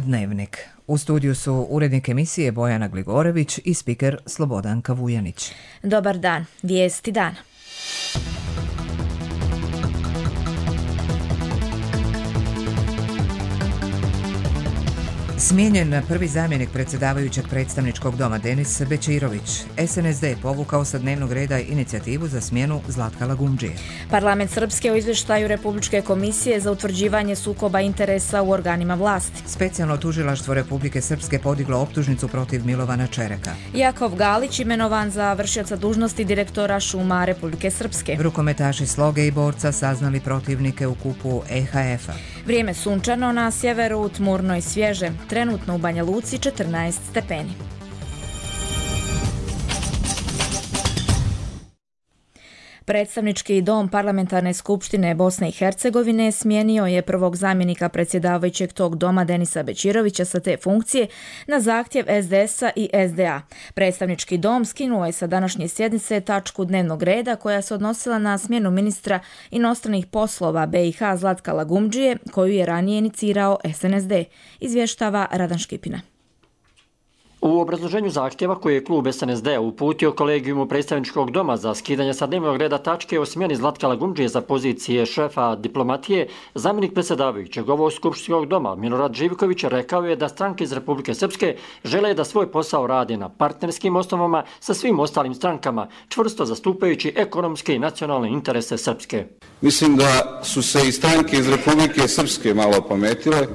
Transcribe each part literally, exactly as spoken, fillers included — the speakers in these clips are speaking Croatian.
Dnevnik. U studiju su urednik emisije Bojana Gligorević i spiker Slobodanka Vujanić. Dobar dan, vijesti dana. Smijenjen prvi zamjenik predsjedavajućeg predstavničkog doma Denis Bećirović. es en es de povukao sa dnevnog reda inicijativu za smjenu Zlatka Lagumdžije. Parlament Srpske u izvještaju Republičke komisije za utvrđivanje sukoba interesa u organima vlasti. Specijalno tužilaštvo Republike Srpske podiglo optužnicu protiv Milovana Čereka. Jakov Galić imenovan za vršioca dužnosti direktora šuma Republike Srpske. Rukometaši Sloge i Borca saznali protivnike u kupu e ha efa. Vrijeme sunčano na sjeveru, tmurno i svježe. Trenutno u Banja Luci četrnaest stepeni. Predstavnički dom Parlamentarne skupštine Bosne i Hercegovine smijenio je prvog zamjenika predsjedavajućeg tog doma Denisa Bećirovića sa te funkcije na zahtjev es de esa i es de a. Predstavnički dom skinuo je sa današnje sjednice tačku dnevnog reda koja se odnosila na smjenu ministra inostranih poslova be i ha Zlatka Lagumdžije, koju je ranije inicirao es en es de, izvještava Radan Škipina. U obrazloženju zahtjeva koje je klub es en es de uputio kolegijumu predstavničkog doma za skidanje sa dnevnog reda tačke o smjeni Zlatka Lagumdžije za pozicije šefa diplomatije, zamjenik predsjedavajućeg ovog skupštinskog doma Milorad Živković rekao je da stranke iz Republike Srpske žele da svoj posao rade na partnerskim osnovama sa svim ostalim strankama, čvrsto zastupajući ekonomske i nacionalne interese Srpske. Mislim da su se i stranke iz Republike Srpske malo opametile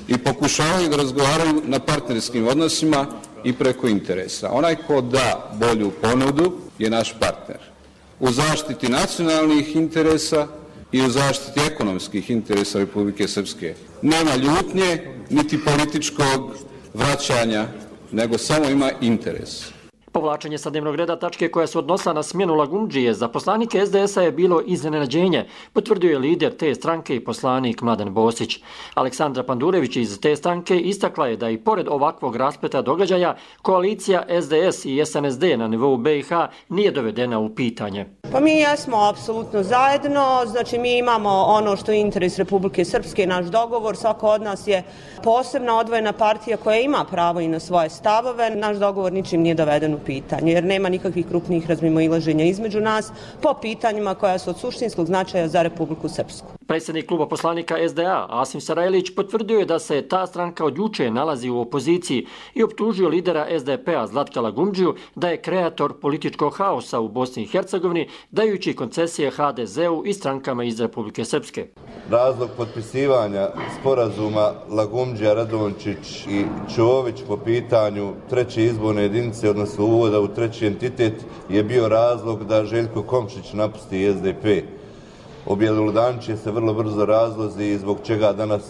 i pokušavaju da razgovaraju na partnerskim odnosima i preko interesa. Onaj ko da bolju ponudu je naš partner. U zaštiti nacionalnih interesa i u zaštiti ekonomskih interesa Republike Srpske. Nema ljutnje niti političkog vraćanja, nego samo ima interes. Povlačenje sa dnevnog reda tačke koja se odnosila na smjenu Lagumdžije za poslanike es de esa je bilo iznenađenje, potvrdio je lider te stranke i poslanik Mladen Bosić. Aleksandra Pandurević iz te stranke istakla je da i pored ovakvog raspleta događaja, koalicija es de es i es en es de na nivou be i ha nije dovedena u pitanje. Pa mi jesmo apsolutno zajedno, znači mi imamo ono što je interes Republike Srpske, naš dogovor, svako od nas je posebna odvojena partija koja ima pravo i na svoje stavove, naš dogovor ničim nije doveden u pitanje, jer nema nikakvih krupnih razmimoilaženja između nas po pitanjima koja su od suštinskog značaja za Republiku Srpsku. Predsjednik kluba poslanika es de a Asim Sarajlić potvrdio je da se ta stranka od juče nalazi u opoziciji i optužio lidera es de pe a Zlatka Lagumdžiju da je kreator političkog haosa u Bosni i Hercegovini, dajući koncesije ha de zeu i strankama iz Republike Srpske. Razlog potpisivanja sporazuma Lagumdžija, Radončić i Čović po pitanju treće izborne jedinice, odnosno uvoda u treći entitet, je bio razlog da Željko Komšić napusti es de pe. Objelodančije se vrlo brzo razlozi i zbog čega danas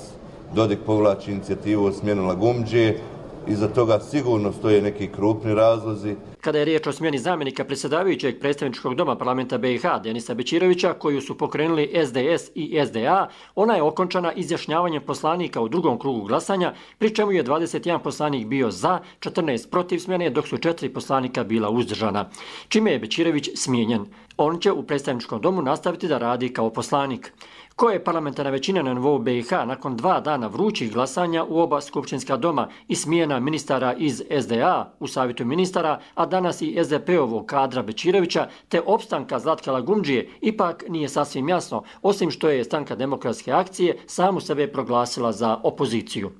Dodik povlači inicijativu o smjenu Lagumdžije. Iza toga sigurno stoje neki krupni razlozi. Kada je riječ o smjeni zamjenika predsjedavajućeg predstavničkog doma parlamenta be i ha Denisa Bećirovića, koju su pokrenuli es de es i es de a, ona je okončana izjašnjavanjem poslanika u drugom krugu glasanja, pri čemu je dvadeset jedan poslanik bio za, četrnaest protiv smjene, dok su četiri poslanika bila uzdržana, čime je Bećirović smijenjen. On će u predstavničkom domu nastaviti da radi kao poslanik. Koja je parlamentarna većina na nivou be i ha nakon dva dana vrućih glasanja u oba skupštinska doma i smjena ministara iz es de a u savjetu ministara, a danas i es de pe-ovog kadra Bećirovića, te opstanka Zlatka Lagumdžije, ipak nije sasvim jasno, osim što je stranka Demokratske akcije samu sebe proglasila za opoziciju.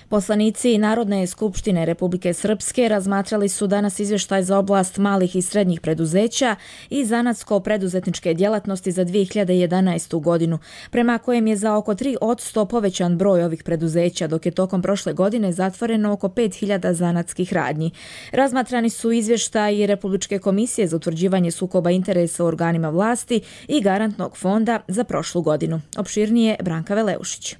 Poslanici Narodne skupštine Republike Srpske razmatrali su danas izvještaj za oblast malih i srednjih preduzeća i zanatsko-preduzetničke djelatnosti za dvije hiljade jedanaestu godinu, prema kojem je za oko tri posto povećan broj ovih preduzeća, dok je tokom prošle godine zatvoreno oko pet hiljada zanatskih radnji. Razmatrani su izvještaji Republičke komisije za utvrđivanje sukoba interesa u organima vlasti i Garantnog fonda za prošlu godinu. Opširnije Branka Veleušić.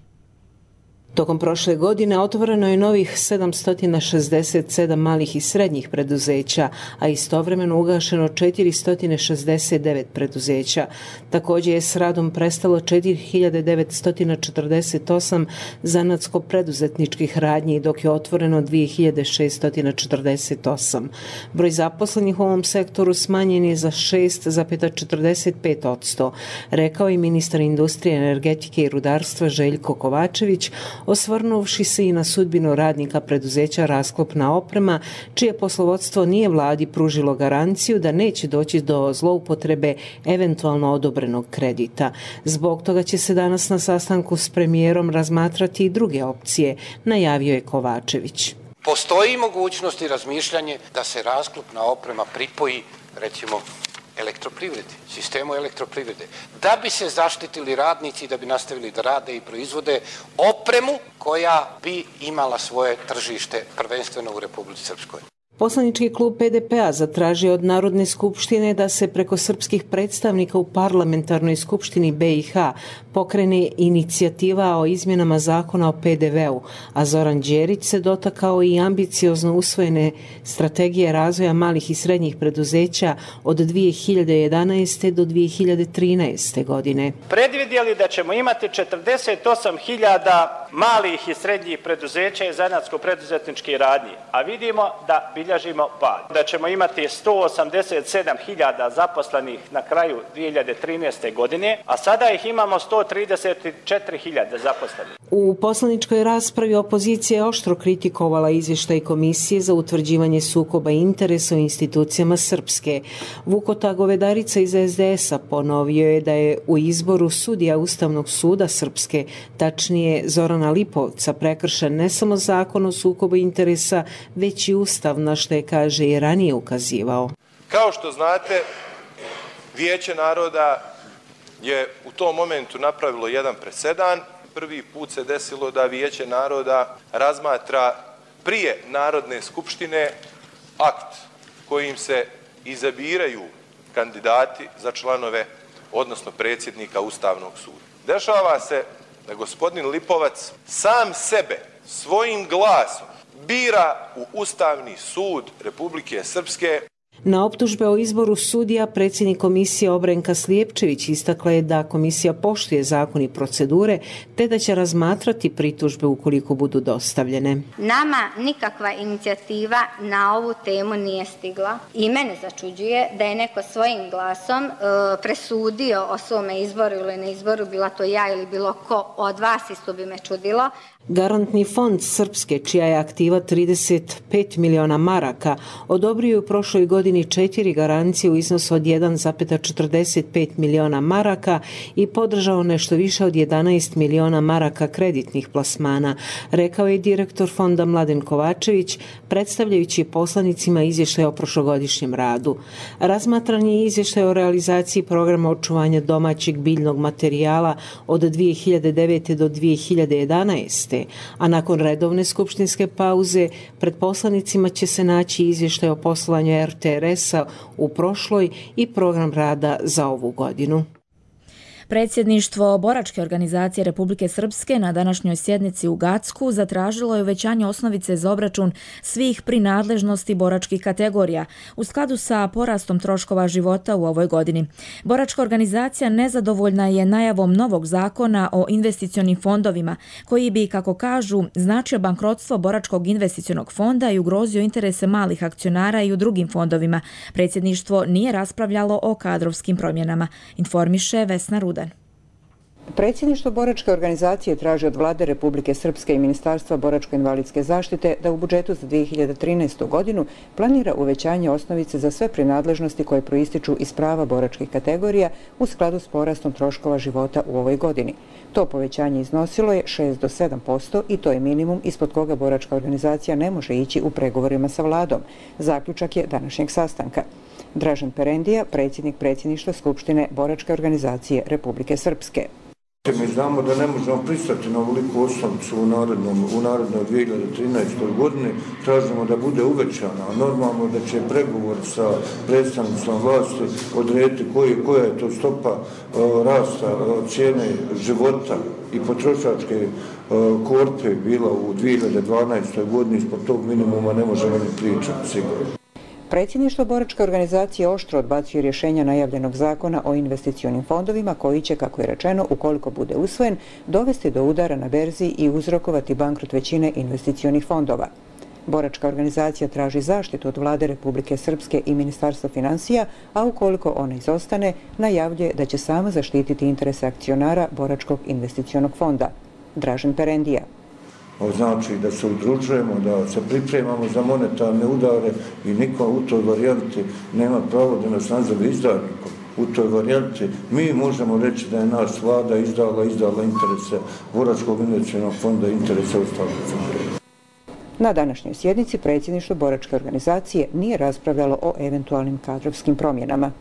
Tokom prošle godine otvoreno je novih sedamsto šezdeset sedam malih i srednjih preduzeća, a istovremeno ugašeno četiristo šezdeset devet preduzeća. Također je s radom prestalo četiri hiljade devetsto četrdeset osam zanatsko-preduzetničkih radnji, dok je otvoreno dvije hiljade šeststo četrdeset osam. Broj zaposlenih u ovom sektoru smanjen je za šest zarez četrdeset pet posto, rekao je ministar industrije, energetike i rudarstva Željko Kovačević osvrnuvši se i na sudbinu radnika preduzeća Rasklopna oprema, čije poslovodstvo nije vladi pružilo garanciju da neće doći do zloupotrebe eventualno odobrenog kredita. Zbog toga će se danas na sastanku s premijerom razmatrati i druge opcije, najavio je Kovačević. Postoji mogućnost i razmišljanje da se Rasklopna oprema pripoji, recimo, elektroprivredi, sistemu elektroprivrede, da bi se zaštitili radnici i da bi nastavili da rade i proizvode opremu koja bi imala svoje tržište prvenstveno u Republici Srpskoj. Poslanički klub P D P-a zatražio od Narodne skupštine da se preko srpskih predstavnika u parlamentarnoj skupštini B i H pokrene inicijativa o izmjenama zakona o P D V-u, a Zoran Đerić se dotakao i ambiciozno usvojene strategije razvoja malih i srednjih preduzeća od dvije hiljade jedanaeste. do dvije hiljade trinaeste. godine. Predvidjeli da ćemo imati četrdeset osam hiljada malih i srednjih preduzeća i zanatsko-preduzetničkih radnji, a vidimo da bilježimo pad. Da ćemo imati sto osamdeset sedam hiljada zaposlenih na kraju dvije hiljade trinaeste. godine, a sada ih imamo sto trideset četiri hiljade zaposlenih. U poslaničkoj raspravi opozicija je oštro kritikovala izvještaj Komisije za utvrđivanje sukoba interesa u institucijama Srpske. Vukota Govedarica iz S D S-a ponovio je da je u izboru sudija Ustavnog suda Srpske, tačnije Zorana Lipovca, prekršen ne samo zakon o sukobu interesa, već i Ustav, na što je, kaže, i ranije ukazivao. Kao što znate, Vijeće naroda je u tom momentu napravilo jedan presedan. Prvi put se desilo da Vijeće naroda razmatra prije Narodne skupštine akt kojim se izabiraju kandidati za članove, odnosno predsjednika Ustavnog suda. Dešava se da gospodin Lipovac sam sebe svojim glasom bira u Ustavni sud Republike Srpske. Na optužbe o izboru sudija predsjednik komisije Obrenka Slijepčević istakla je da komisija poštuje zakon i procedure, te da će razmatrati pritužbe ukoliko budu dostavljene. Nama nikakva inicijativa na ovu temu nije stigla i mene začuđuje da je neko svojim glasom e, presudio o svome izboru ili ne izboru, bila to ja ili bilo ko od vas, isto bi me čudilo. Garantni fond Srpske, čija je aktiva trideset pet miliona maraka, odobrio je u prošloj godini četiri garancije u iznosu od jedan zarez četrdeset pet miliona maraka i podržao nešto više od jedanaest miliona maraka kreditnih plasmana, rekao je direktor fonda Mladen Kovačević, predstavljajući poslanicima izvještaj o prošlogodišnjem radu. Razmatran je izvještaj o realizaciji programa očuvanja domaćeg biljnog materijala od dvije hiljade devete. do dvije hiljade jedanaeste. a nakon redovne skupštinske pauze pred poslanicima će se naći izvještaj o poslovanju R T R S-a u prošloj i program rada za ovu godinu. Predsjedništvo Boračke organizacije Republike Srpske na današnjoj sjednici u Gacku zatražilo je uvećanje osnovice za obračun svih prinadležnosti boračkih kategorija u skladu sa porastom troškova života u ovoj godini. Boračka organizacija nezadovoljna je najavom novog zakona o investicionim fondovima koji bi, kako kažu, značio bankrotstvo Boračkog investicionog fonda i ugrozio interese malih akcionara i u drugim fondovima. Predsjedništvo nije raspravljalo o kadrovskim promjenama, informiše Vesna Rudan. Predsjedništvo Boračke organizacije traži od Vlade Republike Srpske i Ministarstva boračko-invalidske zaštite da u budžetu za dvije hiljade trinaestu. godinu planira uvećanje osnovice za sve prinadležnosti koje proističu iz prava boračkih kategorija u skladu s porastom troškova života u ovoj godini. To povećanje iznosilo je šest do sedam posto i to je minimum ispod koga Boračka organizacija ne može ići u pregovorima sa vladom. Zaključak je današnjeg sastanka. Dražen Perendija, predsjednik predsjedništva Skupštine Boračke organizacije Republike Srpske. Mi znamo da ne možemo pristati na ovoliku osnovicu u narednom, u narednoj dvije hiljade trinaestoj. godini. Tražimo da bude uvećana. Normalno da će pregovor sa predstavnicom vlasti odrediti koji, koja je to stopa uh, rasta uh, cijene života i potrošačke uh, korpe bila u dvije hiljade dvanaestoj. godini. Ispod tog minimuma ne možemo ni pričati sigurno. Predsjedništvo Boračke organizacije oštro odbacuje rješenja najavljenog zakona o investicionim fondovima koji će, kako je rečeno, ukoliko bude usvojen, dovesti do udara na berzi i uzrokovati bankrot većine investicionih fondova. Boračka organizacija traži zaštitu od Vlade Republike Srpske i Ministarstva financija, a ukoliko ona izostane, najavljuje da će sama zaštititi interese akcionara Boračkog investicionog fonda. Dražen Perendija. znači da se udružujemo, da se pripremamo za monetarne udare i niko u toj varijanti nema pravo da nas nazove izdajnikom. U toj varijanti mi možemo reći da je naš vlada izdala, izdala interese Boračkog investicionog fonda, interese ostalih fonda. Na današnjoj sjednici predsjedništvo boračke organizacije nije raspravljalo o eventualnim kadrovskim promjenama.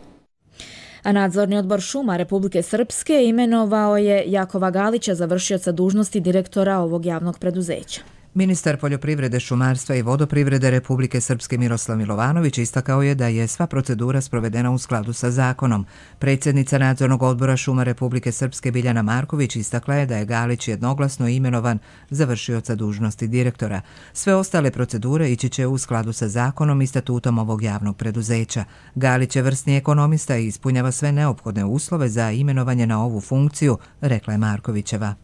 A nadzorni odbor šuma Republike Srpske imenovao je Jakova Galića za vršioca dužnosti direktora ovog javnog preduzeća. Ministar poljoprivrede, šumarstva i vodoprivrede Republike Srpske Miroslav Milovanović istakao je da je sva procedura sprovedena u skladu sa zakonom. Predsjednica nadzornog odbora šuma Republike Srpske Biljana Marković istakla je da je Galić jednoglasno imenovan za vršioca dužnosti direktora. Sve ostale procedure ići će u skladu sa zakonom i statutom ovog javnog preduzeća. Galić je vrsni ekonomista i ispunjava sve neophodne uslove za imenovanje na ovu funkciju, rekla je Markovićeva.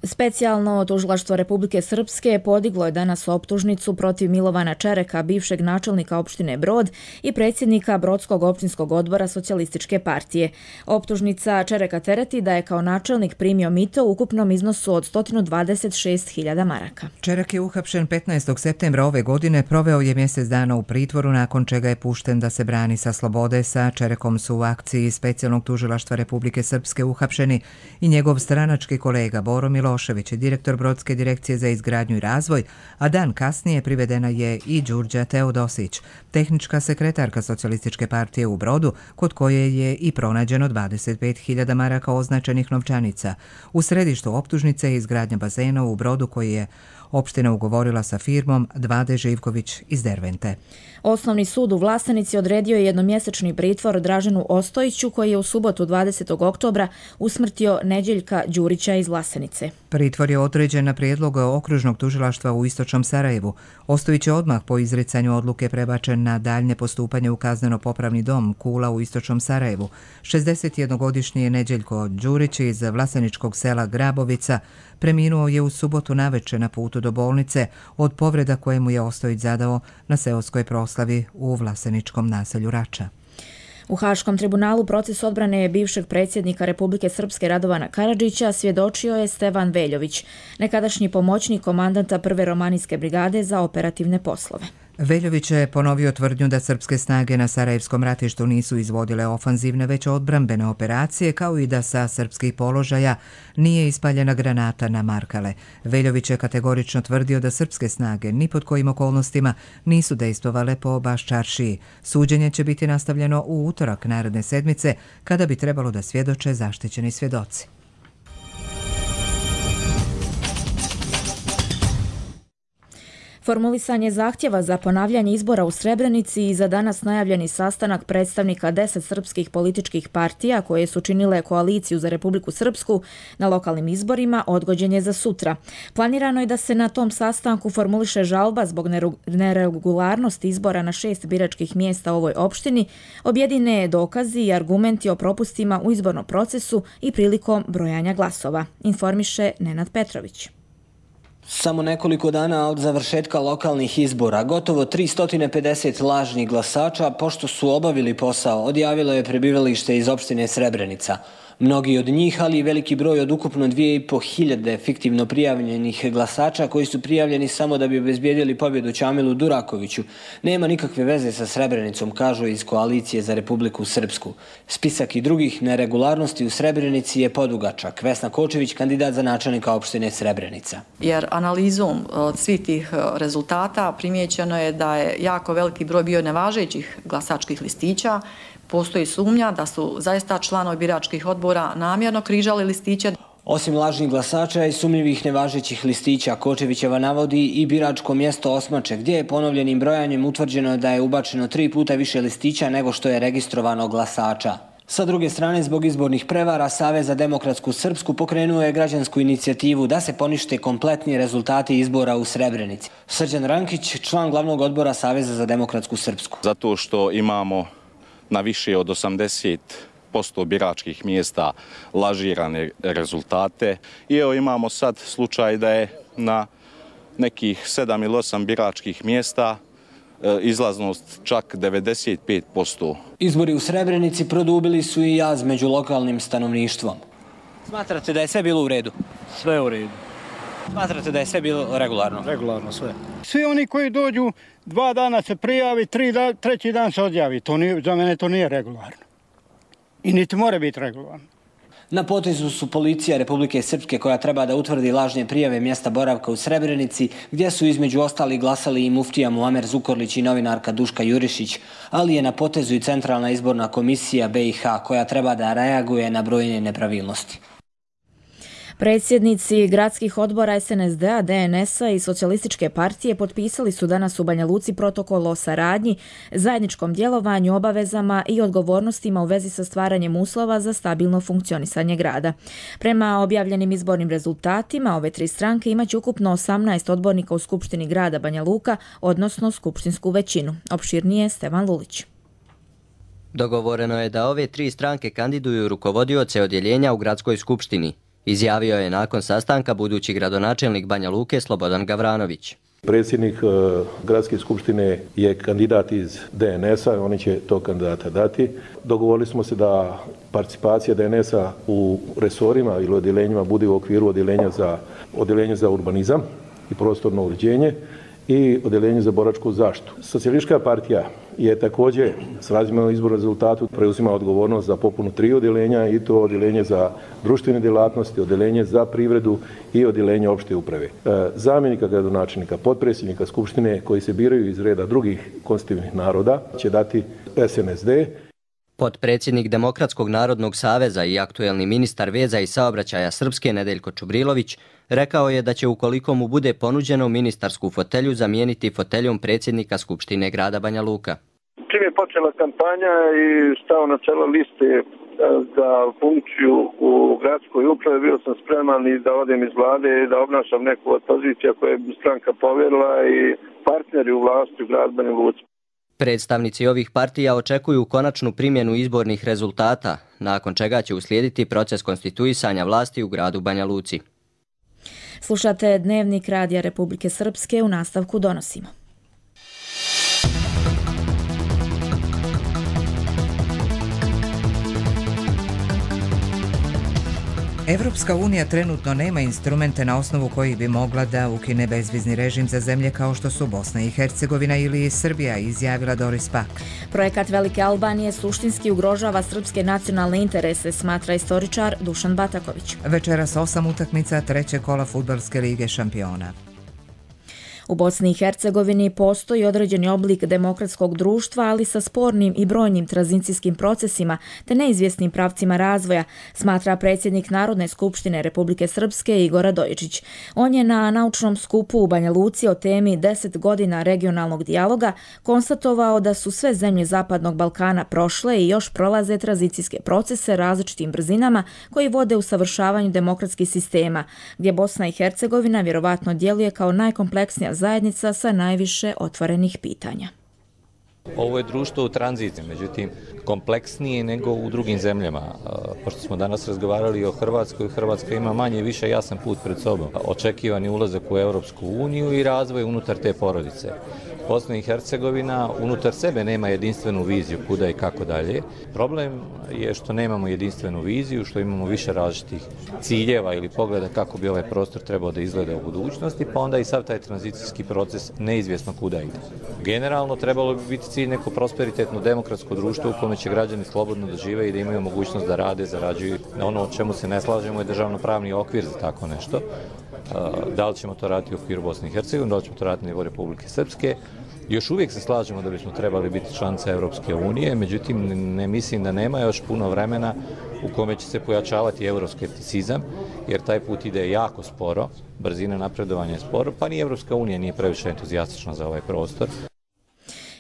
Specijalno tužilaštvo Republike Srpske podiglo je danas optužnicu protiv Milovana Čereka, bivšeg načelnika opštine Brod i predsjednika Brodskog općinskog odbora Socijalističke partije. Optužnica Čereka tereti da je kao načelnik primio mito u ukupnom iznosu od sto dvadeset šest hiljada maraka. Čerek je uhapšen petnaestog septembra ove godine, proveo je mjesec dana u pritvoru, nakon čega je pušten da se brani sa slobode. Sa Čerekom su u akciji Specijalnog tužilaštva Republike Srpske uhapšeni i njegov stranački kolega Boro Milošević, direktor Brodske direkcije za izgradnju i razvoj, a dan kasnije privedena je i Đurđa Teodosić, tehnička sekretarka Socijalističke partije u Brodu, kod koje je i pronađeno dvadeset pet hiljada maraka označenih novčanica. U središtu optužnice je izgradnja bazena u Brodu koji je opština ugovorila sa firmom Dvade Živković iz Dervente. Osnovni sud u Vlasenici odredio je jednomjesečni pritvor Draženu Ostojiću, koji je u subotu dvadesetog oktobra usmrtio Neđeljka Đurića iz Vlasenice. Pritvor je određen na prijedlog okružnog tužilaštva u Istočnom Sarajevu. Ostojić je odmah po izricanju odluke prebačen na daljnje postupanje u kazneno-popravni dom Kula u Istočnom Sarajevu. šezdesetjednogodišnji je Neđeljko Đurić iz vlaseničkog sela Grabovica preminuo je u subotu naveče na putu do bolnice od povreda koje mu je Ostojić zadao na seoskoj proslavi u vlaseničkom naselju Rača. U Haškom tribunalu proces odbrane bivšeg predsjednika Republike Srpske Radovana Karadžića svjedočio je Stevan Veljović, nekadašnji pomoćnik komandanta prve romanijske brigade za operativne poslove. Veljović je ponovio tvrdnju da srpske snage na Sarajevskom ratištu nisu izvodile ofanzivne već odbrambene operacije, kao i da sa srpskih položaja nije ispaljena granata na Markale. Veljović je kategorično tvrdio da srpske snage ni pod kojim okolnostima nisu dejstvovale po Baščaršiji. Suđenje će biti nastavljeno u utorak naredne sedmice, kada bi trebalo da svjedoče zaštićeni svjedoci. Formulisanje zahtjeva za ponavljanje izbora u Srebrenici i za danas najavljeni sastanak predstavnika deset srpskih političkih partija koje su činile koaliciju za Republiku Srpsku na lokalnim izborima odgođen je za sutra. Planirano je da se na tom sastanku formuliše žalba zbog neregularnosti izbora na šest biračkih mjesta u ovoj opštini, objedine dokazi i argumenti o propustima u izbornom procesu i prilikom brojanja glasova, informiše Nenad Petrović. Samo nekoliko dana od završetka lokalnih izbora, gotovo tristo pedeset lažnih glasača, pošto su obavili posao, odjavilo je prebivalište iz opštine Srebrenica. Mnogi od njih, ali i veliki broj od ukupno dvije i po hiljade fiktivno prijavljenih glasača koji su prijavljeni samo da bi obezbijedili pobjedu Ćamilu Durakoviću, nema nikakve veze sa Srebrenicom, kažu iz Koalicije za Republiku Srpsku. Spisak i drugih neregularnosti u Srebrenici je podugačak. Vesna Kočević, kandidat za načelnika opštine Srebrenica. Jer analizom svih tih rezultata primijećeno je da je jako veliki broj bio nevažećih glasačkih listića. Postoji sumnja da su zaista članovi biračkih odbora namjerno križali listiće. Osim lažnih glasača i sumnjivih nevažećih listića, Kočevićeva navodi i biračko mjesto Osmače, gdje je ponovljenim brojanjem utvrđeno da je ubačeno tri puta više listića nego što je registrovano glasača. Sa druge strane, zbog izbornih prevara, Savez za demokratsku Srpsku pokrenuo je građansku inicijativu da se ponište kompletni rezultati izbora u Srebrenici. Srđan Rankić, član glavnog odbora Saveza za demokratsku Srpsku. Zato što imamo na više od osamdeset posto biračkih mjesta lažirane rezultate. I evo imamo sad slučaj da je na nekih sedam ili osam biračkih mjesta izlaznost čak devedeset pet posto. Izbori u Srebrenici produbili su i jaz među lokalnim stanovništvom. Smatrate da je sve bilo u redu? Sve u redu. Smatrate da je sve bilo regularno? Regularno sve. Svi oni koji dođu, dva dana se prijavi, tri da, treći dan se odjavi. To nije, za mene to nije regularno. I niti mora biti regularno. Na potezu su policija Republike Srpske koja treba da utvrdi lažne prijave mjesta boravka u Srebrenici, gdje su između ostali glasali i muftija Muamer Zukorlić i novinarka Duška Jurišić, ali je na potezu i Centralna izborna komisija B i H koja treba da reaguje na brojne nepravilnosti. Predsjednici gradskih odbora S N S D-a, D N S-a i Socijalističke partije potpisali su danas u Banja Luci protokol o saradnji, zajedničkom djelovanju, obavezama i odgovornostima u vezi sa stvaranjem uslova za stabilno funkcionisanje grada. Prema objavljenim izbornim rezultatima, ove tri stranke imaće ukupno osamnaest odbornika u Skupštini grada Banja Luka, odnosno skupštinsku većinu. Opširnije Stevan Lulić. Dogovoreno je da ove tri stranke kandiduju rukovodioce odjeljenja u gradskoj skupštini, izjavio je nakon sastanka budući gradonačelnik Banja Luke Slobodan Gavranović. Predsjednik e, gradske skupštine je kandidat iz D N S-a, oni će to kandidata dati. Dogovorili smo se da participacija D N S-a u resorima ili odjeljenjima bude u okviru odjeljenja za, odjeljenja za urbanizam i prostorno uređenje i odjeljenje za boračku zaštitu. Socijalistička partija je također s razmjernom izbornom rezultatu preuzima odgovornost za popunu tri odjeljenja i to odjeljenje za društvene djelatnosti, odjeljenje za privredu i odjeljenje opšte uprave. Zamjenika gradonačelnika, potpredsjednika skupštine koji se biraju iz reda drugih konstitutivnih naroda će dati S N S D. Potpredsjednik Demokratskog narodnog saveza i aktuelni ministar veza i saobraćaja Srpske Nedeljko Čubrilović rekao je da će ukoliko mu bude ponuđeno ministarsku fotelju zamijeniti foteljom predsjednika Skupštine grada Banja Luka. Čim je počela kampanja i stao na čelo liste za funkciju u gradskoj upravi, bio sam spreman i da odem iz vlade i da obnašam neku od pozicija koje je stranka povjerila i partneri u vlasti u gradu Banja Luci. Predstavnici ovih partija očekuju konačnu primjenu izbornih rezultata, nakon čega će uslijediti proces konstituisanja vlasti u gradu Banja Luci. Slušate Dnevnik Radija Republike Srpske, u nastavku donosimo. Evropska unija trenutno nema instrumente na osnovu kojih bi mogla da ukine bezvizni režim za zemlje kao što su Bosna i Hercegovina ili Srbija, izjavila Doris Pack. Projekat Velike Albanije suštinski ugrožava srpske nacionalne interese, smatra istoričar Dušan Bataković. Večeras osam utakmica trećeg kola Fudbalske lige šampiona. U Bosni i Hercegovini postoji određeni oblik demokratskog društva, ali sa spornim i brojnim tranzicijskim procesima te neizvjesnim pravcima razvoja, smatra predsjednik Narodne skupštine Republike Srpske Igor Radojičić. On je na naučnom skupu u Banja Luci o temi deset godina regionalnog dijaloga konstatovao da su sve zemlje Zapadnog Balkana prošle i još prolaze tranzicijske procese različitim brzinama koji vode u savršavanju demokratskih sistema, gdje Bosna i Hercegovina vjerovatno djeluje kao najkompleksnija zajednica sa najviše otvorenih pitanja. Ovo je društvo u tranziciji, međutim kompleksnije nego u drugim zemljama. Pošto smo danas razgovarali o Hrvatskoj, Hrvatska ima manje i više jasan put pred sobom. Očekivani ulazak u Europsku uniju i razvoj unutar te porodice. Bosna i Hercegovina unutar sebe nema jedinstvenu viziju kuda i kako dalje. Problem je što nemamo jedinstvenu viziju, što imamo više različitih ciljeva ili pogleda kako bi ovaj prostor trebao da izgleda u budućnosti, pa onda i sav taj tranzicijski proces neizvjesno kuda ide. Generalno trebalo bi biti cilj neko prosperitetno demokratsko društvo u kome će građani slobodno da žive i da imaju mogućnost da rade, zarađuju. Ono o čemu se ne slažemo je državno-pravni okvir za tako nešto. Da li ćemo to raditi u okviru Bosne i Hercegovine, da li ćemo to raditi na nivou Republike Srpske. Još uvijek se slažemo da bismo trebali biti članica Europske unije, međutim ne mislim da nema još puno vremena u kome će se pojačavati euroskepticizam, jer taj put ide jako sporo, brzina napredovanja je sporo, pa ni Europska unija nije previše entuzijastična za ovaj prostor.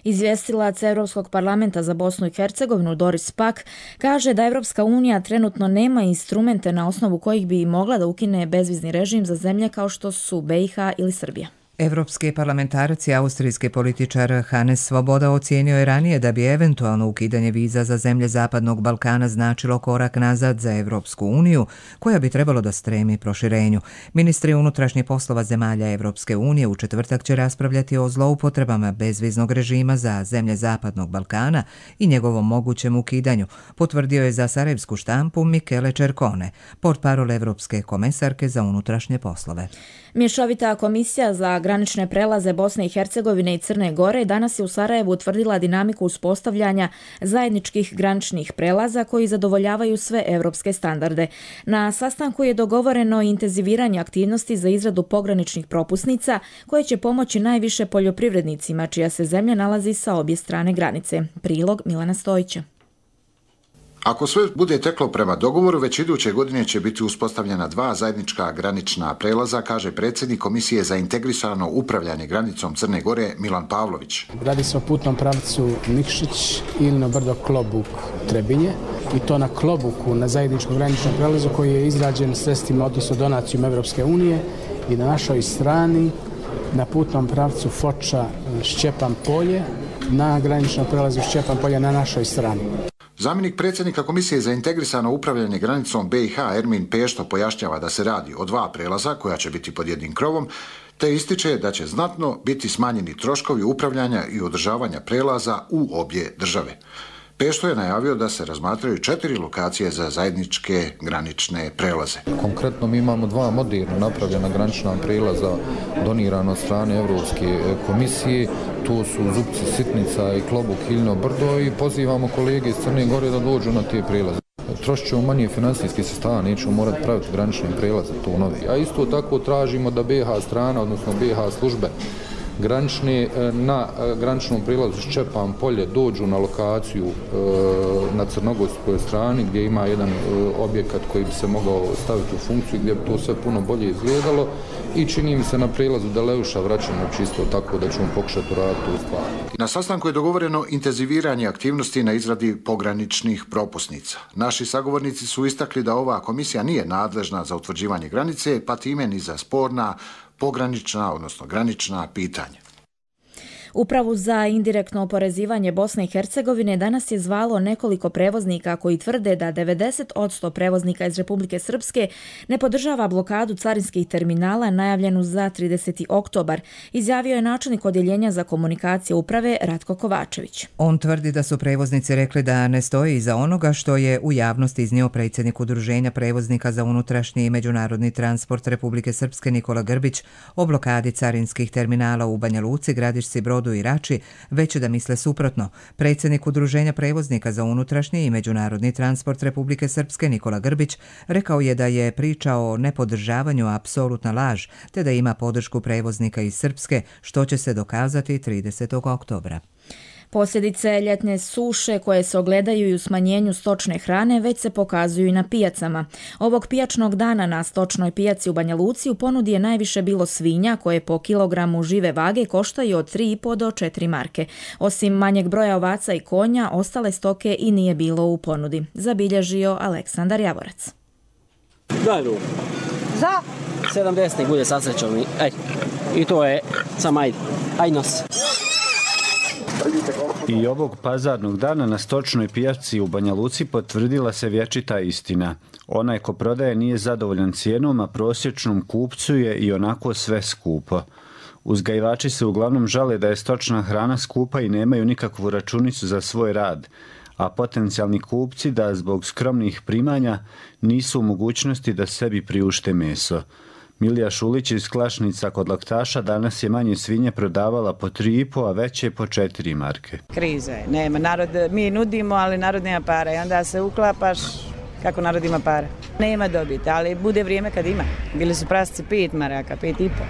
Izvjestilac Europskog parlamenta za Bosnu i Hercegovinu Doris Pack kaže da Evropska unija trenutno nema instrumente na osnovu kojih bi mogla da ukine bezvizni režim za zemlje kao što su B i H ili Srbija. Evropski parlamentarac i austrijski političar Hannes Svoboda ocijenio je ranije da bi eventualno ukidanje viza za zemlje Zapadnog Balkana značilo korak nazad za Evropsku uniju, koja bi trebalo da stremi proširenju. Ministri unutrašnjih poslova zemalja Evropske unije u četvrtak će raspravljati o zloupotrebama bezviznog režima za zemlje Zapadnog Balkana i njegovom mogućem ukidanju, potvrdio je za sarajevsku štampu Michele Cercone, portparol Evropske komesarke za unutrašnje poslove. Mješovita komisija za granične prelaze Bosne i Hercegovine i Crne Gore danas je u Sarajevu utvrdila dinamiku uspostavljanja zajedničkih graničnih prelaza koji zadovoljavaju sve evropske standarde. Na sastanku je dogovoreno intenziviranje aktivnosti za izradu pograničnih propusnica koje će pomoći najviše poljoprivrednicima čija se zemlja nalazi sa obje strane granice. Prilog Milana Stojića. Ako sve bude teklo prema dogovoru, već iduće godine će biti uspostavljena dva zajednička granična prelaza, kaže predsjednik Komisije za integrisano upravljanje granicom Crne Gore Milan Pavlović. Radi se o putnom pravcu Nikšić ili na brdo Klobuk Trebinje i to na Klobuku, na zajedničkom graničnom prelazu koji je izrađen sredstvima, odnosno donacijom Evropske unije, i na našoj strani na putnom pravcu Foča Šćepan Polje, na graničnom prelazu Šćepan Polje na našoj strani. Zamjenik predsjednika Komisije za integrisano upravljanje granicom B i H Ermin Pešto pojašnjava da se radi o dva prelaza koja će biti pod jednim krovom, te ističe da će znatno biti smanjeni troškovi upravljanja i održavanja prelaza u obje države. Pešto je najavio da se razmatraju četiri lokacije za zajedničke granične prelaze. Konkretno mi imamo dva moderno napravljena granična prelaza donirana od strane Evropske komisije. To su Zupci Sitnica i Klobuk Hiljno Brdo i pozivamo kolege iz Crne Gore da dođu na te prelaze. Trošit ćemo manje financijski sredstava, nećemo morati praviti granične prelaze, to novi. A isto tako tražimo da B H strana, odnosno B H službe granične na graničnom prilazu Šćepan Polje dođu na lokaciju na crnogorskoj strani gdje ima jedan objekat koji bi se mogao staviti u funkciju, gdje bi to sve puno bolje izgledalo, i čini mi se na prilazu Deleuša vraćamo čisto tako da ćemo pokušati uraditi tu stvar. Na sastanku je dogovoreno intenziviranje aktivnosti na izradi pograničnih propusnica. Naši sagovornici su istakli da ova komisija nije nadležna za utvrđivanje granice, pa time ni za sporna pogranična, odnosno granična pitanja. Upravu za indirektno oporezivanje Bosne i Hercegovine danas je zvalo nekoliko prevoznika koji tvrde da devedeset posto prevoznika iz Republike Srpske ne podržava blokadu carinskih terminala najavljenu za trideseti oktobar, izjavio je načelnik odjeljenja za komunikacije uprave Ratko Kovačević. On tvrdi da su prevoznici rekli da ne stoji iza onoga što je u javnosti iznio predsjednik Udruženja prevoznika za unutrašnji i međunarodni transport Republike Srpske Nikola Grbić o blokadi carinskih terminala u Banja Luci, Gradišci, Brodu i Rači, već da misle suprotno. Predsjednik Udruženja prevoznika za unutrašnji i međunarodni transport Republike Srpske Nikola Grbić rekao je da je priča o nepodržavanju apsolutna laž, te da ima podršku prevoznika iz Srpske, što će se dokazati tridesetog oktobra. Posljedice ljetne suše koje se ogledaju i u smanjenju stočne hrane već se pokazuju i na pijacama. Ovog pijačnog dana na stočnoj pijaci u Banja Luci u ponudi je najviše bilo svinja koje po kilogramu žive vage koštaju od tri i po do četiri marke. Osim manjeg broja ovaca i konja, ostale stoke i nije bilo u ponudi, zabilježio Aleksandar Javorac. Daj ruku. Za? sedamdeset bude sa srećom. I to je sam ajde. Aj nos. I ovog pazarnog dana na stočnoj pijaci u Banja Luci potvrdila se vječita istina. Onaj ko prodaje nije zadovoljan cijenom, a prosječnom kupcu je i onako sve skupo. Uzgajivači se uglavnom žale da je stočna hrana skupa i nemaju nikakvu računicu za svoj rad, a potencijalni kupci da zbog skromnih primanja nisu u mogućnosti da sebi priušte meso. Milija Šulić iz Klašnica kod Laktaša danas je manje svinje prodavala po tri i po, a veće po četiri marke. Kriza je, nema. Narod, mi nudimo, ali narod nema para i onda se uklapaš kako narod ima para. Nema dobiti, ali bude vrijeme kad ima. Bili su prasci pet maraka, pet i po.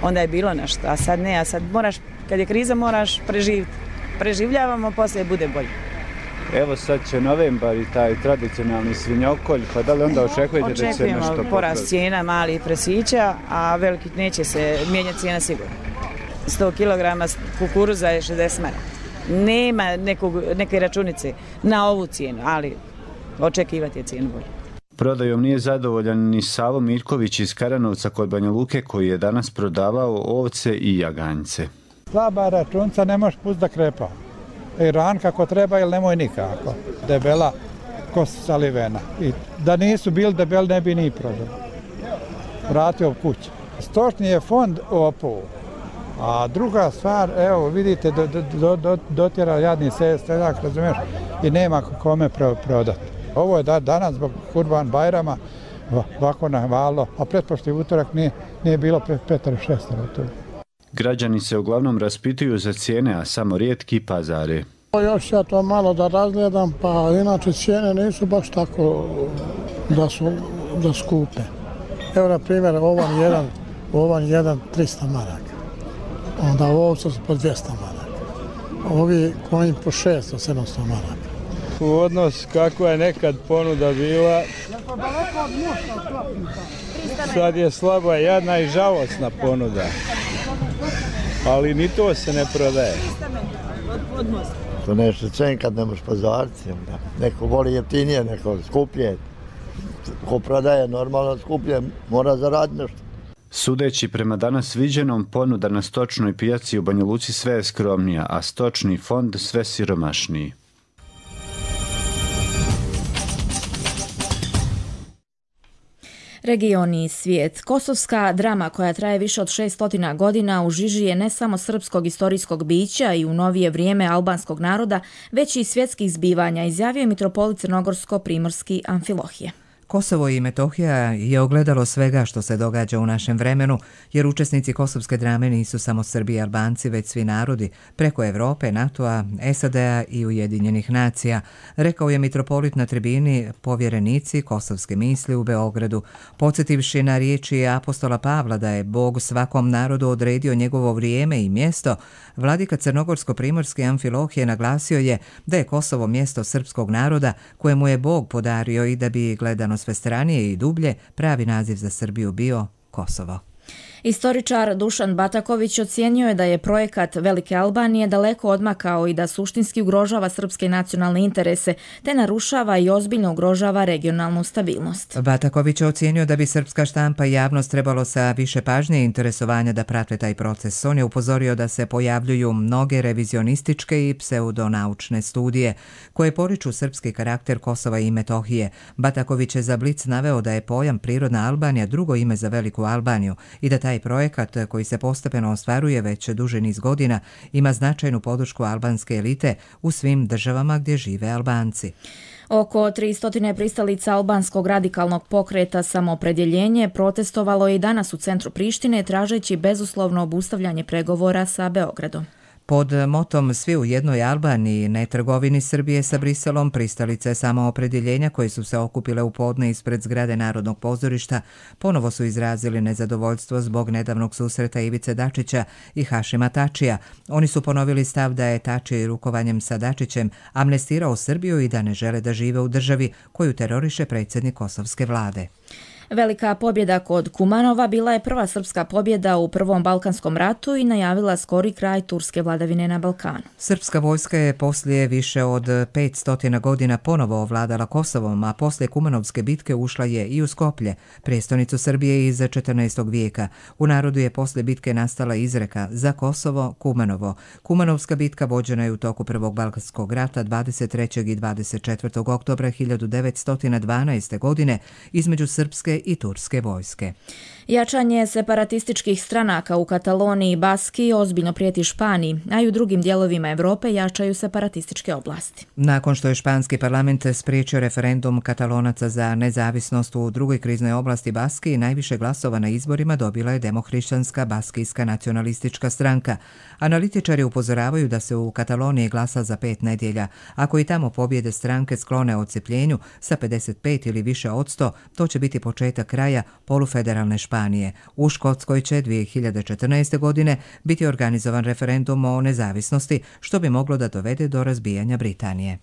Onda je bilo nešto, a sad ne, a sad moraš, kad je kriza moraš preživiti. Preživljavamo, poslije bude bolje. Evo sad će novembar i taj tradicionalni svinjokolj, pa da li onda očekujete da će nešto popraviti? Očekujemo porast cijena malih prasića, a veliki neće se mijenjati cijena sigurno. sto kilograma kukuruza je šezdeset maraka. Nema nekog, neke računice na ovu cijenu, ali očekivati je cijenu bolje. Prodajom nije zadovoljan ni Savo Miljković iz Karanovca kod Banja Luke koji je danas prodavao ovce i jaganjce. Slaba računca ne možeš pustiti da krepa. I ran kako treba ili nemoj nikako. Debela kost salivena. I da nisu bili debeli ne bi ni prodali. Vratio kuću. Stočni je fond opao. A druga stvar, evo vidite, do, do, do, dotjera jadni seljak, razumiješ, i nema kome prodati. Ovo je da, danas zbog Kurban Bajrama ovako navalo, a pretpošli utorak nije, nije bilo petero šestero tu. Građani se uglavnom raspituju za cijene, a samo rijetki pazare. Još ja to malo da razgledam, pa inače cijene nisu baš tako da su da skupe. Evo na primjer ovan jedan, ovan jedan tristo maraka, onda ovca su po dvjesto maraka, ovi konji po šesto sedamsto maraka. U odnos kako je nekad ponuda bila, sad je slaba, jadna i žalosna ponuda, ali ni to se ne prodaje. To nešto cen kad ne možeš pazariti, neko voli jeftinije, neko skuplje, ko prodaje normalno skuplje, mora zaraditi nešto. Sudeći prema danas viđenom, ponuda na stočnoj pijaci u Banja Luci sve je skromnija, a stočni fond sve siromašniji. Regioni i svijet. Kosovska drama koja traje više od šesnaest godina u žiži je ne samo srpskog istorijskog bića i u novije vrijeme albanskog naroda, već i svjetskih zbivanja, izjavio je mitropolit Crnogorsko-primorski Amfilohije. Kosovo i Metohija je ogledalo svega što se događa u našem vremenu, jer učesnici kosovske drame nisu samo Srbi i Albanci, već svi narodi, preko Evrope, NATO-a, S A D-a i Ujedinjenih nacija, rekao je mitropolit na tribini povjerenici kosovske misli u Beogradu, podsjetivši na riječi apostola Pavla da je Bog svakom narodu odredio njegovo vrijeme i mjesto. Vladika Crnogorsko-primorski Amfilohije naglasio je da je Kosovo mjesto srpskog naroda kojemu je Bog podario i da bi gledano sve stranije i dublje, pravi naziv za Srbiju bio Kosovo. Istoričar Dušan Bataković ocijenio je da je projekat Velike Albanije daleko odmakao i da suštinski ugrožava srpske nacionalne interese, te narušava i ozbiljno ugrožava regionalnu stabilnost. Bataković je ocijenio da bi srpska štampa i javnost trebalo sa više pažnje i interesovanja da prate taj proces. On je upozorio da se pojavljuju mnoge revizionističke i pseudonaučne studije koje poriču srpski karakter Kosova i Metohije. Bataković je za Blic naveo da je pojam prirodna Albanija drugo ime za Veliku Albaniju i da taj projekat, koji se postepeno ostvaruje već duži niz godina, ima značajnu podršku albanske elite u svim državama gdje žive Albanci. Oko tristo pristalica albanskog radikalnog pokreta Samoopredjeljenje protestovalo je i danas u centru Prištine tražeći bezuslovno obustavljanje pregovora sa Beogradom. Pod motom Svi u jednoj Albaniji, ne trgovini Srbije sa Briselom, pristalice Samoopredjeljenja koje su se okupile u podne ispred zgrade Narodnog pozorišta ponovo su izrazili nezadovoljstvo zbog nedavnog susreta Ivice Dačića i Hašima Tačija. Oni su ponovili stav da je Tači rukovanjem sa Dačićem amnestirao Srbiju i da ne žele da žive u državi koju teroriše predsjednik kosovske vlade. Velika pobjeda kod Kumanova bila je prva srpska pobjeda u Prvom Balkanskom ratu i najavila skori kraj turske vladavine na Balkanu. Srpska vojska je poslije više od petsto godina ponovo ovladala Kosovom, a poslije Kumanovske bitke ušla je i u Skoplje, prijestolnicu Srbije iz četrnaestog vijeka. U narodu je poslije bitke nastala izreka za Kosovo Kumanovo. Kumanovska bitka vođena je u toku Prvog Balkanskog rata dvadeset trećeg i dvadeset četvrtog oktobra hiljadu devetsto dvanaeste. godine između srpske i turske vojske. Jačanje separatističkih stranaka u Kataloniji i Baski ozbiljno prijeti Španiji, a i u drugim dijelovima Evrope jačaju separatističke oblasti. Nakon što je španski parlament spriječio referendum Katalonaca za nezavisnost u drugoj kriznoj oblasti Baski, najviše glasova na izborima dobila je demohrišćanska baskijska nacionalistička stranka. Analitičari upozoravaju da se u Kataloniji glasa za pet nedjelja. Ako i tamo pobjede stranke sklone odcepljenju sa pedeset pet ili više od sto, to će biti početak kraja polufederalne Španije. U Škotskoj će dvije hiljade četrnaeste. godine biti organizovan referendum o nezavisnosti, što bi moglo da dovede do razbijanja Britanije.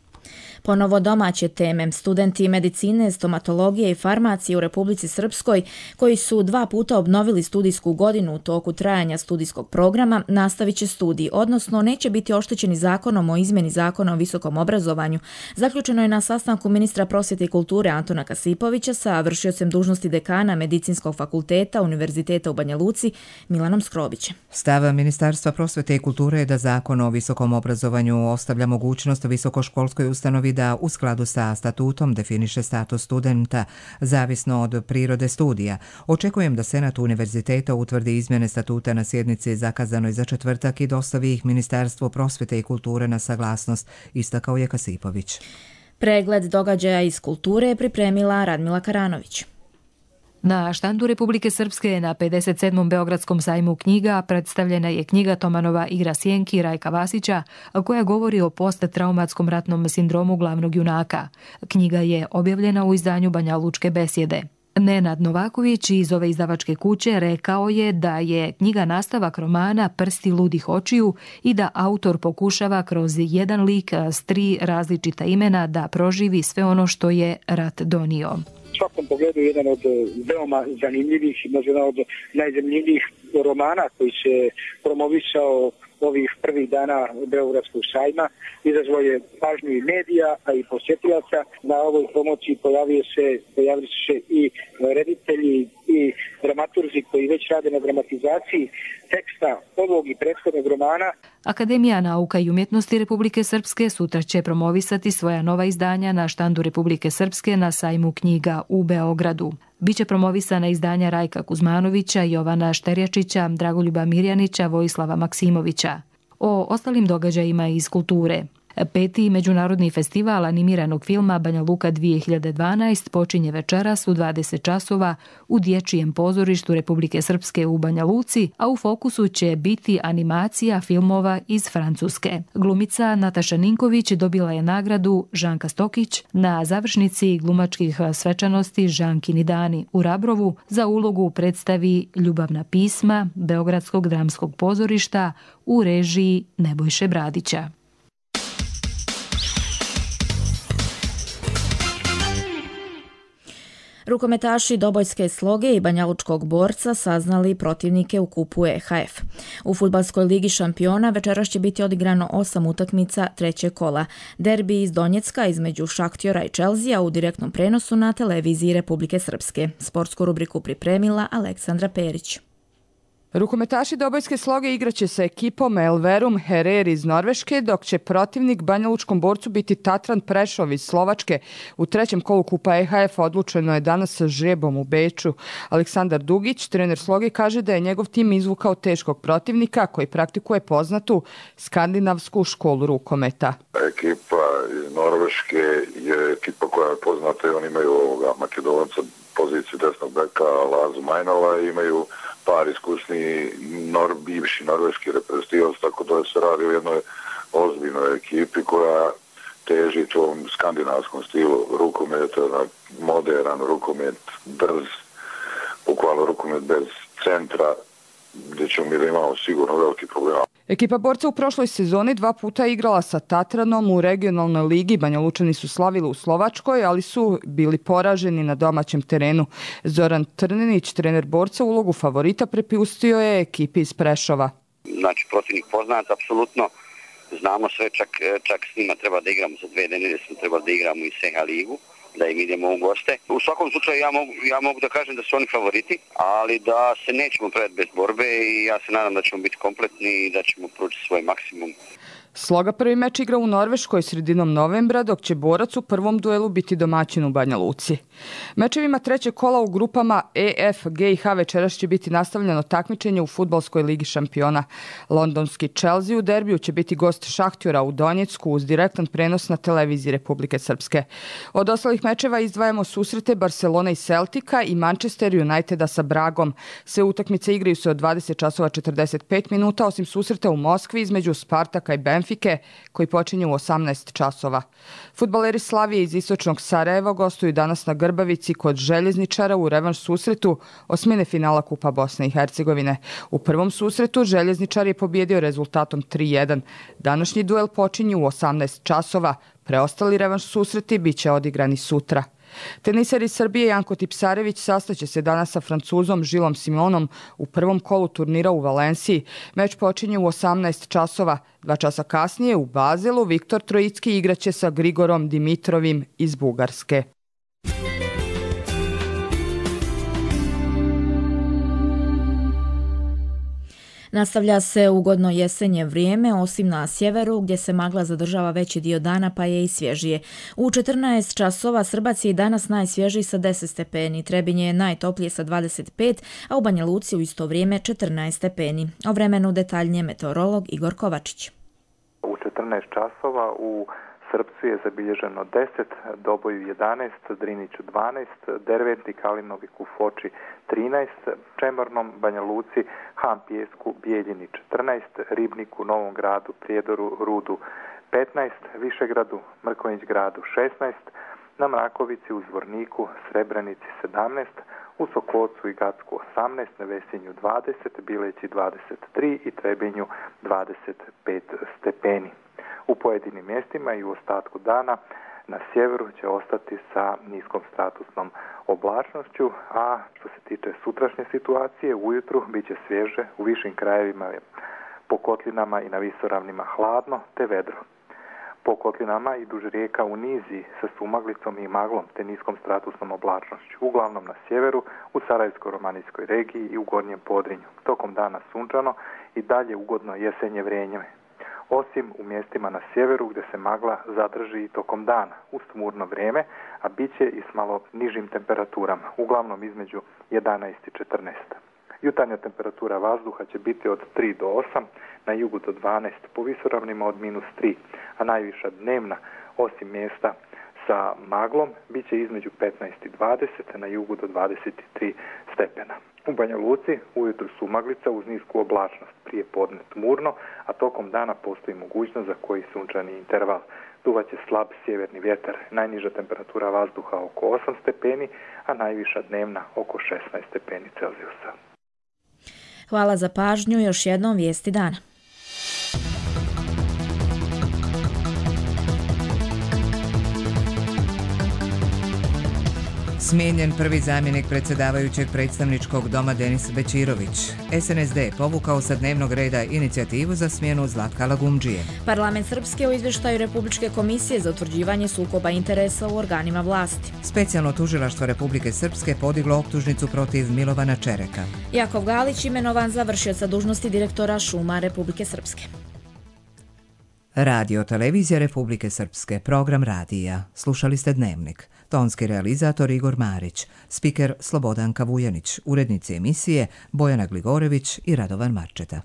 Ponovo domaće teme. Studenti medicine, stomatologije i farmacije u Republici Srpskoj, koji su dva puta obnovili studijsku godinu u toku trajanja studijskog programa, nastavit će studij, odnosno neće biti oštećeni zakonom o izmjeni zakona o visokom obrazovanju. Zaključeno je na sastanku ministra prosvjete i kulture Antona Kasipovića sa vršiocem dužnosti dekana Medicinskog fakulteta Univerziteta u Banja Luci Milanom Skrobićem. Stav Ministarstva prosvjete i kulture je da zakon o visokom obrazovanju ostavlja mogućnost visokoškolskoj ustanovi da u skladu sa statutom definiše status studenta, zavisno od prirode studija. Očekujem da Senat univerziteta utvrdi izmjene statuta na sjednici zakazanoj za četvrtak i dostavi ih Ministarstvu prosvjete i kulture na saglasnost, istakao je Kasipović. Pregled događaja iz kulture je pripremila Radmila Karanović. Na štandu Republike Srpske na pedeset sedmom Beogradskom sajmu knjiga predstavljena je knjiga Tomanova Igra sjenki Rajka Vasića, koja govori o posttraumatskom ratnom sindromu glavnog junaka. Knjiga je objavljena u izdanju Banja Lučke besjede. Nenad Novaković iz ove izdavačke kuće rekao je da je knjiga nastavak romana Prsti ludih očiju i da autor pokušava kroz jedan lik s tri različita imena da proživi sve ono što je rat donio. U svakom pogledu jedan od veoma zanimljivih i možda jedan od najzanimljivijih romana koji se promovisao ovih prvih dana Beogradskog sajma. Izazvao je pažnju i medija, a i posjetilaca. Na ovoj promociji pojavio se, pojavili su se i reditelji i dramaturzi koji već rade na dramatizaciji teksta ovog i prethodnog romana. Akademija nauka i umjetnosti Republike Srpske sutra će promovisati svoja nova izdanja na štandu Republike Srpske na sajmu knjiga u Beogradu. Biće promovisana izdanja Rajka Kuzmanovića, Jovana Šterjačića, Dragoljuba Mirjanića, Vojislava Maksimovića. O ostalim događajima iz kulture. Peti međunarodni festival animiranog filma Banja Luka dvije hiljade dvanaest počinje večeras u dvadeset časova u Dječjem pozorištu Republike Srpske u Banja Luci, a u fokusu će biti animacija filmova iz Francuske. Glumica Nataša Ninković dobila je nagradu Žanka Stokić na završnici glumačkih svečanosti Žankini dani u Rabrovu za ulogu u predstavi Ljubavna pisma Beogradskog dramskog pozorišta u režiji Nebojše Bradića. Rukometaši Dobojske Sloge i Banjalučkog Borca saznali protivnike u kupu E H F. U Fudbalskoj ligi šampiona večeras će biti odigrano osam utakmica trećeg kola. Derbi iz Donjecka između Šaktjora i Čelzija u direktnom prenosu na televiziji Republike Srpske. Sportsku rubriku pripremila Aleksandra Perić. Rukometaši Dobojske Sloge igraće sa ekipom Elverum Herer iz Norveške, dok će protivnik Banjalučkom Borcu biti Tatran Prešov iz Slovačke. U trećem kolu kupa E H F odlučeno je danas sa žrebom u Beču. Aleksandar Dugić, trener Sloge, kaže da je njegov tim izvukao teškog protivnika koji praktikuje poznatu skandinavsku školu rukometa. Ekipa iz Norveške je ekipa koja je poznata i oni imaju ovoga Makedonca poziciju desnog beka Lazu Majnova i imaju par iskusni nor, bivši norveški reprezentativac, tako da se radi o jednoj ozbiljnoj ekipi koja teži tom skandinavskom stilu rukometa, modern rukomet, brz, bukvalno rukomet bez centra, gdje ćemo mi da imamo sigurno veliki problema. Ekipa Borca u prošloj sezoni dva puta igrala sa Tatranom u regionalnoj ligi. Banjalučani su slavili u Slovačkoj, ali su bili poraženi na domaćem terenu. Zoran Trninić, trener Borca, ulogu favorita prepustio je ekipi iz Prešova. Znači, protivnik poznat, apsolutno. Znamo sve, čak, čak s njima treba da igramo za dve nedelje, smo trebali da igramo i S E H A ligu, da im idemo u goste. U svakom slučaju ja mogu, ja mogu da kažem da su oni favoriti, ali da se nećemo predati bez borbe i ja se nadam da ćemo biti kompletni i da ćemo pručiti svoj maksimum. Sloga prvi meč igra u Norveškoj sredinom novembra, dok će Borac u prvom duelu biti domaćin u Banja Luci. Mečevima trećeg kola u grupama E, F, G i H večeras će biti nastavljeno takmičenje u Fudbalskoj ligi šampiona. Londonski Chelsea u derbiju će biti gost Šahtjora u Donjecku uz direktan prenos na televiziji Republike Srpske. Od ostalih mečeva izdvajamo susrete Barcelona i Celtica i Manchester Uniteda sa Bragom. Sve utakmice igraju se od dvadeset časova četrdeset pet minuta, osim susreta u Moskvi između Spartaka i Benfike, koji počinje u osamnaest časova. Fudbaleri Slavije iz istočnog Sarajeva gostuju danas na Grbavici kod Željezničara u revanš susretu osmine finala Kupa Bosne i Hercegovine. U prvom susretu Željezničar je pobjedio rezultatom tri jedan. Današnji duel počinje u osamnaest časova. Preostali revanš susreti bit će odigrani sutra. Teniser iz Srbije Janko Tipsarević sastaće se danas sa Francuzom Žilom Simonom u prvom kolu turnira u Valenciji. Meč počinje u osamnaest časova. Dva časa kasnije u Bazelu Viktor Trojicki igraće sa Grigorom Dimitrovim iz Bugarske. Nastavlja se ugodno jesenje vrijeme, osim na sjeveru gdje se magla zadržava veći dio dana pa je i svježije. U četrnaest časova Srbac je i danas najsvježiji sa deset stepeni, Trebinje je najtoplije sa dvadeset pet, a u Banja Luci u isto vrijeme četrnaest stepeni. O vremenu detaljnije meteorolog Igor Kovačić. U četrnaest časova u Srpcu je zabilježeno deset, Doboju jedanaest, Driniću dvanaest, Derventi, Kalinoviku, Foči trinaest, Čemornom, Banja Luci, Han Pijesku, Bijeljini četrnaest, Ribniku, Novom Gradu, Prijedoru, Rudu petnaest, Višegradu, Mrkonjić Gradu šesnaest, na Mrakovici, u Zvorniku, Srebrenici sedamnaest, u Sokocu i Gacku osamnaest, na Vesinju dvadeset, Bileći dvadeset tri i Trebinju dvadeset pet stepeni. U pojedinim mjestima i u ostatku dana na sjeveru će ostati sa niskom statusnom oblačnošću, a što se tiče sutrašnje situacije, ujutru bit će svježe, u višim krajevima po kotlinama i na visoravnima hladno te vedro. Po kotlinama i duž rijeka u niziji sa sumaglicom i maglom te niskom statusnom oblačnošću, uglavnom na sjeveru, u Sarajevsko-romanijskoj regiji i u Gornjem Podrinju. Tokom dana sunčano i dalje ugodno jesenje vrijeme, osim u mjestima na sjeveru gdje se magla zadrži i tokom dana uz tmurno vrijeme, a bit će i s malo nižim temperaturama, uglavnom između jedanaest i četrnaest. Jutarnja temperatura vazduha će biti od tri do osam, na jugu do dvanaest, po visoravnima od minus tri, a najviša dnevna, osim mjesta sa maglom, bit će između petnaest i dvadeset, na jugu do dvadeset tri stepena. U Banja Luci ujutru su maglica uz nisku oblačnost, prije podne tmurno, a tokom dana postoji mogućnost za koji sunčani interval. Duvaće slab sjeverni vjetar, najniža temperatura vazduha oko osam stepeni, a najviša dnevna oko šesnaest stepeni Celzijusa. Hvala za pažnju, još jednom vijesti dana. Smijenjen prvi zamjenik predsjedavajućeg predstavničkog doma Denis Bećirović. S N S D povukao sa dnevnog reda inicijativu za smjenu Zlatka Lagumdžije. Parlament Srpske u izvještaju Republičke komisije za utvrđivanje sukoba interesa u organima vlasti. Specijalno tužilaštvo Republike Srpske podiglo optužnicu protiv Milovana Čereka. Jakov Galić imenovan za vršioca dužnosti direktora šuma Republike Srpske. Radio Televizija Republike Srpske, program radija. Slušali ste Dnevnik. Tonski realizator Igor Marić, spiker Slobodanka Vujanić, urednici emisije Bojana Gligorević i Radovan Marčeta.